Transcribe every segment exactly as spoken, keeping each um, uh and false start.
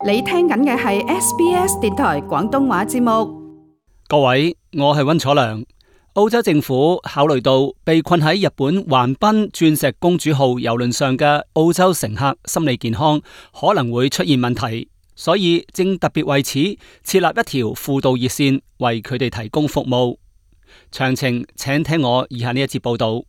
你聽緊嘅係 S B S 電台廣東話節目。各位，我係溫楚良。澳洲政府考慮到被困喺日本橫濱鑽石公主號郵輪上嘅澳洲乘客心理健康可能會出現問題，所以正特別為此設立一條輔導熱線，為佢哋提供服務。詳情請聽我以下呢一節報道。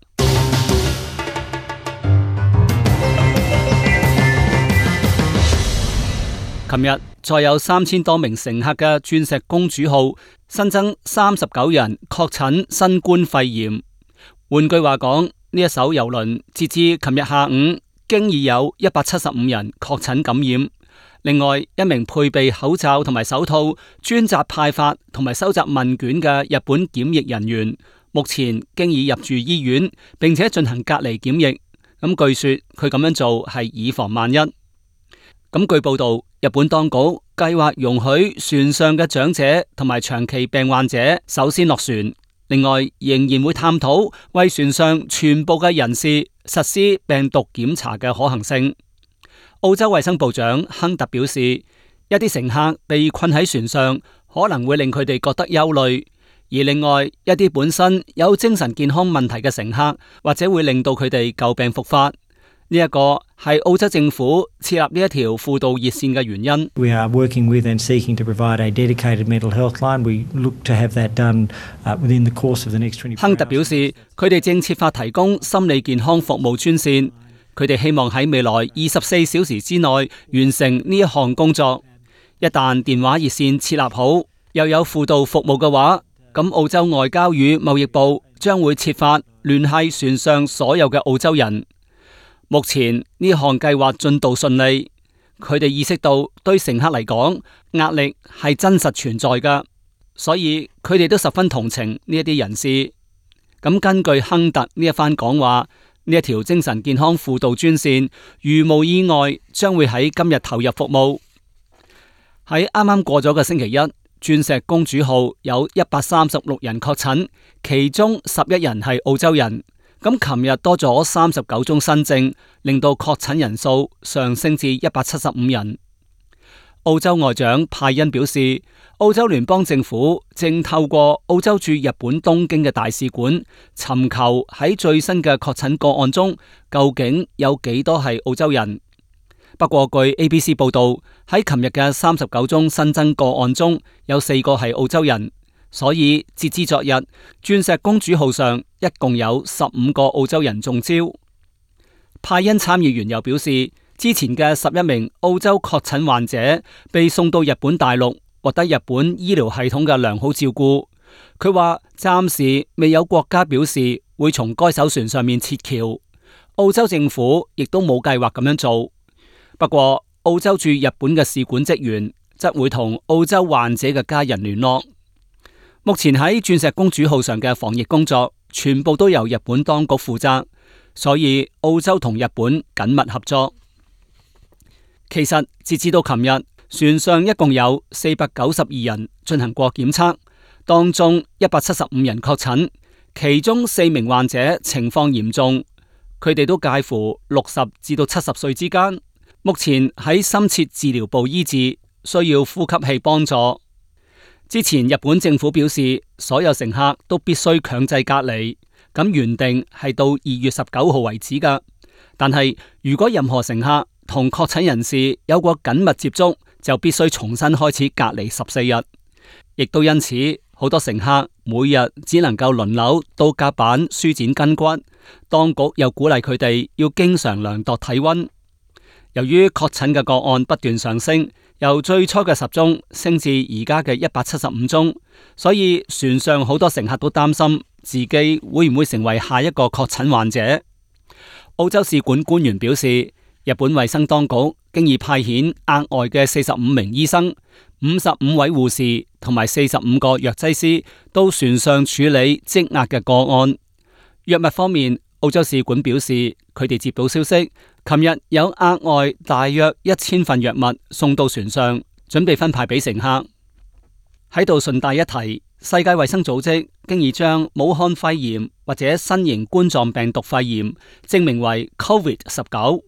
琴日再有三千多名乘客嘅鑽石公主號新增三十九人確診新冠肺炎。換句話講，呢一艘郵輪截至琴日下午，經已有一百七十五人確診感染。另外，一名配備口罩同埋手套、專責派發同埋收集問卷嘅日本檢疫人員，目前經已入住醫院，並且進行隔離檢疫。咁據說佢咁樣做係以防萬一。咁據報道，日本當局計劃容許船上嘅長者同埋長期病患者首先落船，另外仍然會探討為船上全部嘅人士實施病毒檢查嘅可行性。澳洲衛生部長亨特表示，一啲乘客被困喺船上可能會令佢哋覺得憂慮，而另外一啲本身有精神健康問題嘅乘客或者會令到佢哋舊病復發。呢一個係澳洲政府設立呢一條輔導熱線嘅原因。We are working with and seeking to provide a dedicated mental health line. We look to have that done within the course of the next twenty-four hours. 亨特表示，佢哋正設法提供心理健康服務專線。佢哋希望喺未來二十四小時之內完成呢一項工作。一旦電話熱線設立好，又有輔導服務嘅話，咁澳洲外交與貿易部將會設法聯繫船上所有嘅澳洲人。目前呢項計劃進度順利，佢哋意識到對乘客嚟講壓力係真實存在㗎，所以佢哋都十分同情呢一啲人士。咁根據亨特呢一番講話，呢一條精神健康輔導專線如無意外將會喺今日投入服務。喺啱啱過咗嘅星期一，鑽石公主號有一百三十六人確診，其中十一人係澳洲人。咁琴日多咗三十九宗新症，令到確診人數上升至一百七十五人。澳洲外長派恩表示，澳洲聯邦政府正透過澳洲駐日本東京嘅大使館，尋求喺最新嘅確診個案中，究竟有幾多係澳洲人。不過據 A B C 報道，喺琴日嘅三十九宗新增個案中，有四個係澳洲人。所以截至昨日，鑽石公主號上一共有十五個澳洲人中招。派恩參議員又表示，之前嘅十一名澳洲確診患者被送到日本大陸，獲得日本醫療系統嘅良好照顧。佢話暫時未有國家表示會從該艘船上面撤僑，澳洲政府亦都冇計劃咁樣做。不過澳洲駐日本嘅使館職員則會同澳洲患者嘅家人聯絡。目前喺鑽石公主號上嘅防疫工作全部都由日本當局負責，所以澳洲同日本緊密合作。其實截至到琴日，船上一共有四百九十二人進行過檢測，當中一百七十五人確診，其中四名患者情況嚴重，佢哋都介乎六十至到七十歲之間，目前喺深切治療部醫治，需要呼吸器幫助。之前日本政府表示，所有乘客都必須強制隔離，咁原定係到二月十九號為止噶。但係如果任何乘客同確診人士有過緊密接觸，就必須重新開始隔離十四日。亦都因此，好多乘客每日只能夠輪流到甲板舒展筋骨。當局又鼓勵佢哋要經常量度體溫。由於確診嘅個案不斷上升，由最初嘅十宗升至而家嘅一百七十五宗，所以船上好多乘客都擔心自己會唔會成為下一個確診患者。澳洲使館官員表示，日本衛生當局經已派遣額外嘅四十五名醫生、五十五位護士同埋四十五個藥劑師到船上處理積壓嘅個案。藥物方面，澳洲使館表示，佢哋接到消息，琴日有額外大約一千份藥物送到船上，準備分派俾乘客。喺度順帶一提，世界衛生組織經已將武漢肺炎或者新型冠狀病毒肺炎證明為 COVID 十九，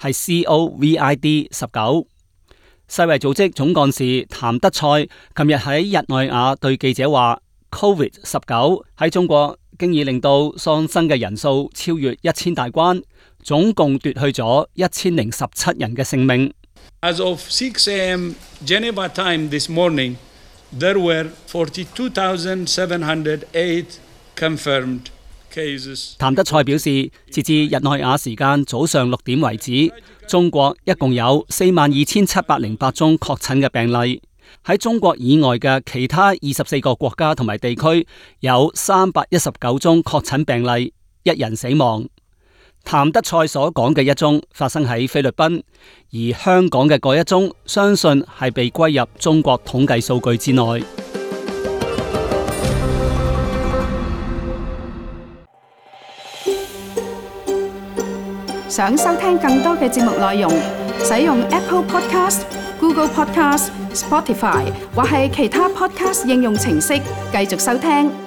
係 C O V I D 十九。世衛組織總幹事譚德塞琴日喺日內瓦對記者話 ：Covid 十九喺中國經已令到喪生嘅人數超越一千大關，總共奪去咗一千零十七人嘅性命。As of six a m Geneva time this morning, there were forty-two thousand seven hundred eight confirmed cases。譚德塞表示，截至日內瓦時間早上六點為止，中國一共有四萬二千七百零八宗確診嘅病例。喺中國以外嘅其他二十四個國家同埋地區，有三百一十九宗確診病例，一人死亡。譚德塞所講嘅一宗發生喺菲律賓，而香港嘅嗰一宗，相信係被歸入中國統計數據之內。想收聽更多嘅節目內容，使用 Apple Podcast、Google Podcast、Spotify 或係其他 Podcast 應用程式繼續收聽。